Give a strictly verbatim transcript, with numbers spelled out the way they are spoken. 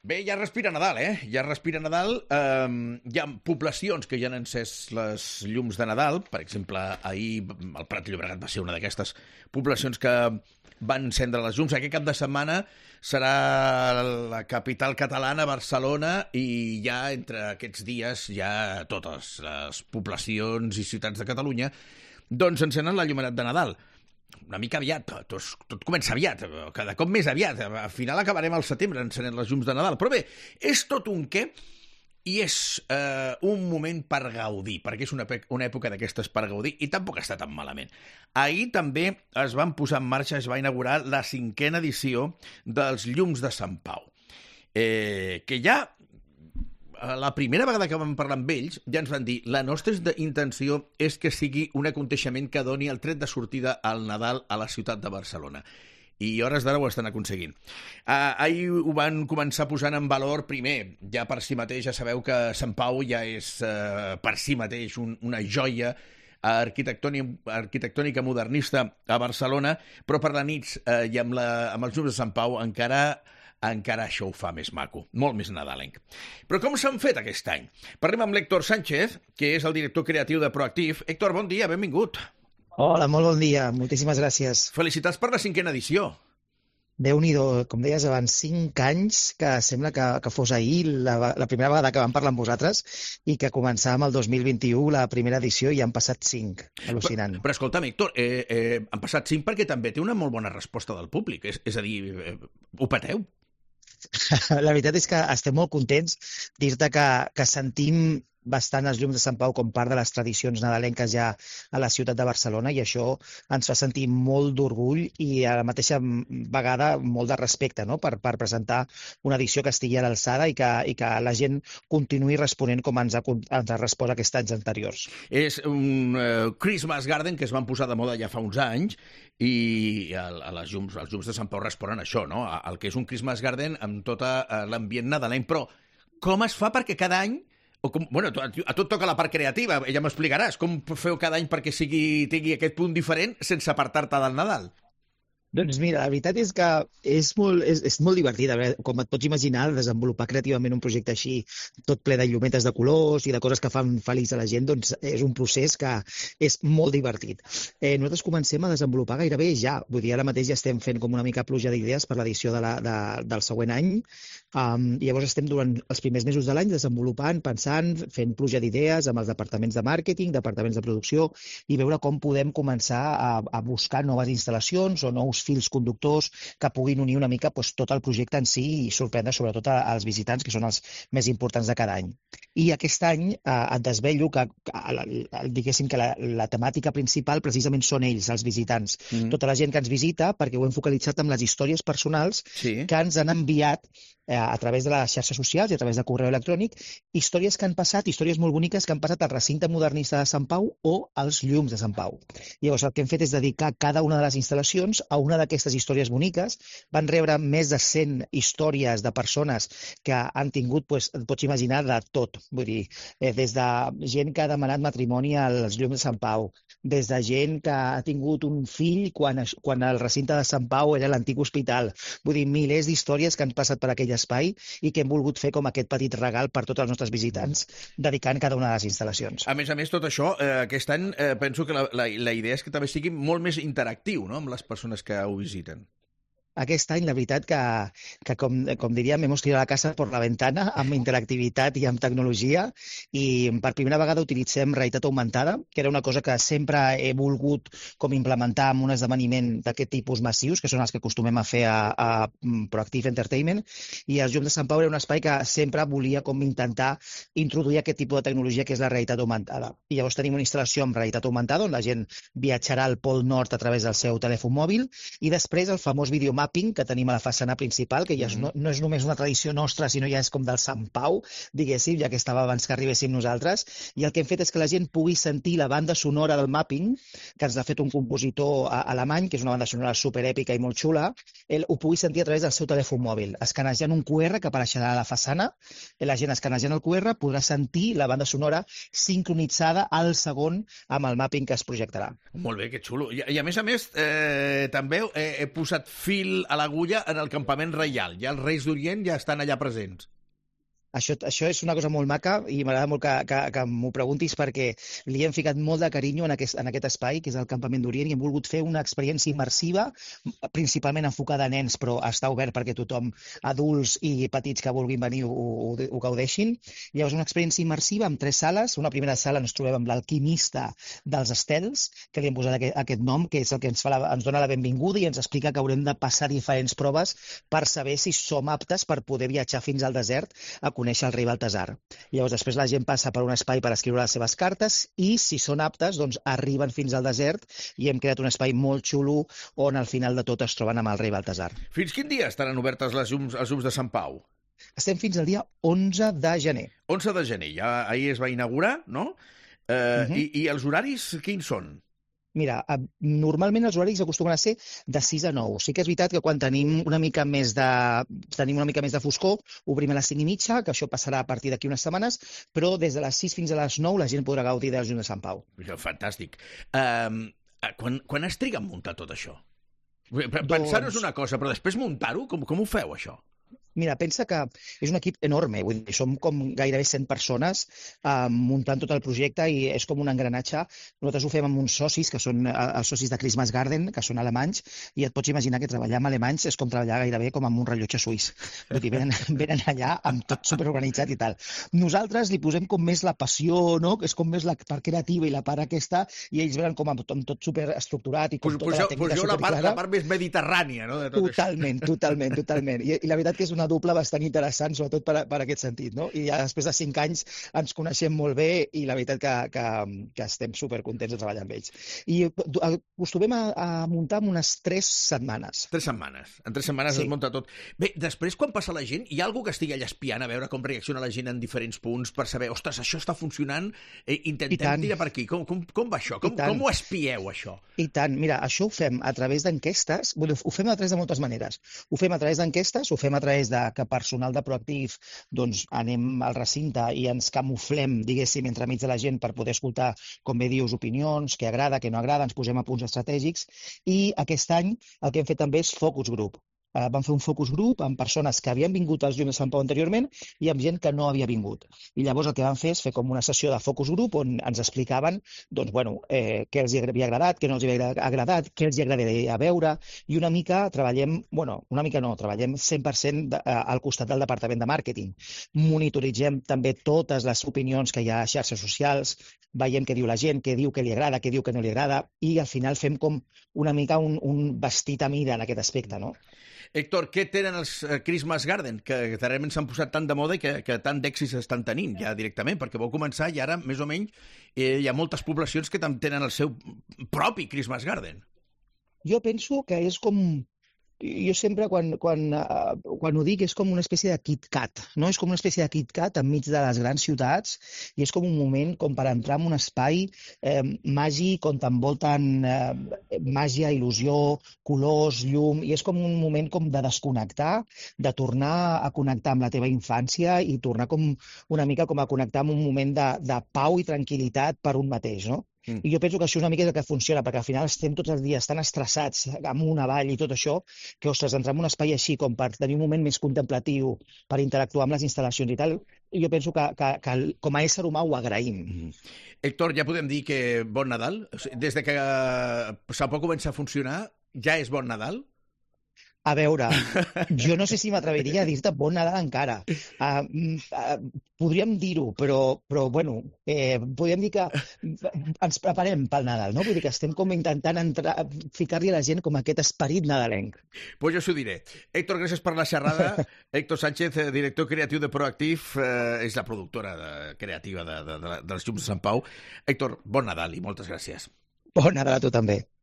Bé, ja respira Nadal, eh? Ja respira Nadal. Um, hi ha poblacions que ja han encès les llums de Nadal. Per exemple, ahir el Prat de Llobregat va ser una d'aquestes poblacions que van encendre les llums. Aquest cap de setmana serà la capital catalana, Barcelona, i ja entre aquests dies ja totes les poblacions i ciutats de Catalunya doncs encenen la llumenat de Nadal. Una mica aviat, tot, tot comença aviat, cada cop més aviat. Al final acabarem al setembre encenent les llums de Nadal. Però bé, és tot un què i és eh, un moment per gaudir, perquè és una, una època d'aquestes per gaudir i tampoc està tan malament. Ahir també es van posar en marxa, es va inaugurar la cinquena edició dels Llums de Sant Pau, eh, que ja la primera vegada que vam parlar amb ells ja ens van dir la nostra intenció és que sigui un aconteixement que doni el tret de sortida al Nadal a la ciutat de Barcelona. I a hores d'ara ho estan aconseguint. Uh, ahir ho van començar posant en valor primer, ja per si mateix, ja sabeu que Sant Pau ja és uh, per si mateix un, una joia arquitectònica, arquitectònica modernista a Barcelona, però per la nit uh, i amb, la, amb els llums de Sant Pau encara encara això ho fa més maco, molt més nadalenc. Però com s'han fet aquest any? Parlem amb l'Héctor Sánchez, que és el director creatiu de Proactiv. Héctor, bon dia, benvingut. Hola, molt bon dia, moltíssimes gràcies. Felicitats per la cinquena edició. Déu-n'hi-do, com deies abans, cinc anys, que sembla que, que fos ahir la, la primera vegada que vam parlar amb vosaltres i que començàvem el dos mil vint-i-u la primera edició i han passat cinc. Al·lucinant. Però, però escolta'm, Héctor, eh, eh, han passat cinc perquè també té una molt bona resposta del públic. És, és a dir, eh, ho pateu? La veritat és que estem molt contents. Dir-te que, que sentim bastant els llums de Sant Pau com part de les tradicions nadalenques ja a la ciutat de Barcelona i això ens fa sentir molt d'orgull i a la mateixa vegada molt de respecte, no? per, per presentar una edició que estigui a l'alçada i, que, i que la gent continuï responent com ens ha, ens ha respost aquests anys anteriors. És un uh, Christmas Garden que es van posar de moda ja fa uns anys i a, a les llums, els llums de Sant Pau responen a això, no? A, el que és un Christmas Garden amb tot l'ambient nadalenc. Però com es fa perquè cada any o com, bueno, a, a tot toca la part creativa, ja m'explicaràs. Com feu cada any perquè sigui, tingui aquest punt diferent sense apartar-te del Nadal? Doncs mira, la veritat és que és molt, és, és molt divertit. A veure, com et pots imaginar, desenvolupar creativament un projecte així, tot ple de llumetes de colors i de coses que fan feliç a la gent, doncs és un procés que és molt divertit. Eh, nosaltres comencem a desenvolupar gairebé ja. Vull dir, ara mateix ja estem fent com una mica pluja d'idees per l'edició de la, de, del següent any. Um, i llavors estem durant els primers mesos de l'any desenvolupant, pensant, fent pluja d'idees amb els departaments de màrqueting, departaments de producció i veure com podem començar a, a buscar noves instal·lacions o nous fils conductors que puguin unir una mica doncs, tot el projecte en si i sorprendre sobretot als visitants, que són els més importants de cada any. I aquest any eh, et desvello que, que diguéssim que la, la temàtica principal precisament són ells, els visitants. Mm. Tota la gent que ens visita, perquè ho hem focalitzat amb les històries personals sí. que ens han enviat eh, a través de les xarxes socials i a través de correu electrònic, històries que han passat, històries molt boniques que han passat al recinte modernista de Sant Pau o als llums de Sant Pau. Llavors el que hem fet és dedicar cada una de les instal·lacions a una d'aquestes històries boniques. Van rebre més de cent històries de persones que han tingut, doncs, et pots imaginar, de tot. Vull dir, eh, des de gent que ha demanat matrimoni als llums de Sant Pau, des de gent que ha tingut un fill quan, quan el recinte de Sant Pau era l'antic hospital. Vull dir, milers d'històries que han passat per aquell espai i que hem volgut fer com aquest petit regal per tots els nostres visitants, dedicant cada una de les instal·lacions. A més a més, tot això, eh, aquest any, eh, penso que la, la, la idea és que també sigui molt més interactiu, no?, amb les persones que ho visiten. Aquest any, la veritat que, que com, com diríem, hemos tirado la casa por la ventana amb interactivitat i amb tecnologia i per primera vegada utilitzem realitat augmentada, que era una cosa que sempre he volgut com implementar en un esdeveniment d'aquest tipus massius, que són els que acostumem a fer a, a Proactive Entertainment, i els Llums de Sant Pau era un espai que sempre volia com intentar introduir aquest tipus de tecnologia que és la realitat augmentada. I llavors tenim una instal·lació amb realitat augmentada on la gent viatjarà al Pol Nord a través del seu telèfon mòbil i després el famós videomap que tenim a la façana principal, que ja és, no, no és només una tradició nostra, sinó ja és com del Sant Pau, diguéssim, ja que estava abans que arribéssim nosaltres, i el que hem fet és que la gent pugui sentir la banda sonora del mapping, que ens ha fet un compositor alemany, que és una banda sonora superèpica i molt xula, ell ho pugui sentir a través del seu telèfon mòbil, escanejant un Q R que apareixerà a la façana, la gent escanejant el Q R podrà sentir la banda sonora sincronitzada al segon amb el mapping que es projectarà. Molt bé, que xulo. I, i a més a més, eh, també he, he posat fil fil a l'agulla en el campament reial. Ja els Reis d'Orient ja estan allà presents. Això, això és una cosa molt maca i m'agrada molt que, que, que m'ho preguntis perquè li hem ficat molt de carinyo en aquest, en aquest espai, que és el Campament d'Orient, i hem volgut fer una experiència immersiva, principalment enfocada a nens, però està obert perquè tothom, adults i petits que vulguin venir, ho, ho, ho gaudeixin. Llavors, una experiència immersiva amb tres sales. Una primera sala ens trobem amb l'alquimista dels estels, que li hem posat aquest, aquest nom, que és el que ens, fa la, ens dona la benvinguda i ens explica que haurem de passar diferents proves per saber si som aptes per poder viatjar fins al desert a conèixer el rei Baltasar. Llavors, després la gent passa per un espai per escriure les seves cartes i, si són aptes, doncs arriben fins al desert i hem creat un espai molt xulo on al final de tot es troben amb el rei Baltasar. Fins quin dia estaran obertes les llums, els llums de Sant Pau? Estem fins al dia onze de gener. onze de gener, ja ahir es va inaugurar, no? Eh, uh-huh. i, I els horaris quins són? Mira, normalment els horaris acostumen a ser de sis a nou. Sí que és veritat que quan tenim una mica més de, tenim una mica més de foscor, obrim a les cinc i mitja, que això passarà a partir d'aquí unes setmanes, però des de les sis fins a les nou la gent podrà gaudir dels llums de Sant Pau. Fantàstic. Um, quan, quan es triga a muntar tot això? Pensar-ho és una cosa, però després muntar-ho, com, com ho feu, això? Mira, pensa que és un equip enorme, vull dir, som com gairebé cent persones eh, muntant tot el projecte i és com un engranatge. Nosaltres ho fem amb uns socis, que són els socis de Christmas Garden, que són alemanys, i et pots imaginar que treballar amb alemanys és com treballar gairebé com amb un rellotge suís. Vull dir, venen, venen allà amb tot superorganitzat i tal. Nosaltres li posem com més la passió, no? Que és com més la part creativa i la part aquesta, i ells venen com amb, amb tot superestructurat i com pues, tota pues la tècnica pues superclara. La part, la part més mediterrània, no? De tot totalment, això. totalment, totalment. I, I la veritat que és una dupla bastant interessant, sobretot per, per aquest sentit, no? I ja després de cinc anys ens coneixem molt bé i la veritat que, que, que estem supercontents de treballar amb ells. I acostumem a, a muntar en unes tres setmanes. Tres setmanes. En tres setmanes sí. Es munta tot. Bé, després, quan passa la gent, hi ha algú que estigui allà espiant a veure com reacciona la gent en diferents punts per saber, ostres, això està funcionant, eh, intentem tirar per aquí. Com, com, com va això? Com, com ho espieu, això? I tant. Mira, això ho fem a través d'enquestes. Bueno, ho fem a través de moltes maneres. Ho fem a través d'enquestes, ho fem a través de que personal de Proactiv, doncs anem al recinte i ens camuflem, diguéssim, entremig de la gent per poder escoltar, com bé dius, opinions, què agrada, què no agrada, ens posem a punts estratègics i aquest any el que hem fet també és focus group. Uh, vam fer un focus group amb persones que havien vingut als llums de Sant Pau anteriorment i amb gent que no havia vingut. I llavors el que vam fer és fer com una sessió de focus group on ens explicaven doncs, bueno, eh, què els havia agradat, què no els havia agradat, què els agradaria veure, i una mica treballem, bueno, una mica no, treballem cent per cent de, uh, al costat del departament de màrqueting. Monitoritzem també totes les opinions que hi ha a xarxes socials, veiem què diu la gent, què diu que li agrada, què diu que no li agrada, i al final fem com una mica un, un vestit a mida en aquest aspecte, no? Héctor, què tenen els Christmas Garden, que realment s'han posat tant de moda i que, que tant d'èxits estan tenint ja directament? Perquè vau començar i ara, més o menys, eh, hi ha moltes poblacions que tenen el seu propi Christmas Garden. Jo penso que és com... Jo sempre, quan, quan, uh, quan ho dic, és com una espècie de KitKat, no? És com una espècie de KitKat enmig de les grans ciutats i és com un moment com per entrar en un espai eh, màgic on t'envolten eh, màgia, il·lusió, colors, llum, i és com un moment com de desconnectar, de tornar a connectar amb la teva infància i tornar com una mica com a connectar amb un moment de, de pau i tranquil·litat per un mateix, no? Mm. I jo penso que això és una mica el que funciona, perquè al final estem tots els dies tan estressats, amunt, avall i tot això, que, ostres, entrar en un espai així com per tenir un moment més contemplatiu, per interactuar amb les instal·lacions i tal, jo penso que, que, que com a ésser humà ho agraïm. Mm. Héctor, ja podem dir que bon Nadal? Des de que Sant Pau comença a funcionar, ja és bon Nadal? A veure, jo no sé si m'atreviria a dir-te bon Nadal encara. Uh, uh, podríem dir-ho, però, però bueno, eh, podríem dir que ens preparem pel Nadal, no? Vull dir que estem com intentant entrar, ficar-li a la gent com aquest esperit nadalenc. Pues jo s'ho diré. Héctor, gràcies per la xerrada. Héctor Sánchez, director creatiu de Proactiv, eh, és la productora de, creativa de, de, de, dels llums de Sant Pau. Héctor, bon Nadal i moltes gràcies. Bon Nadal a tu també.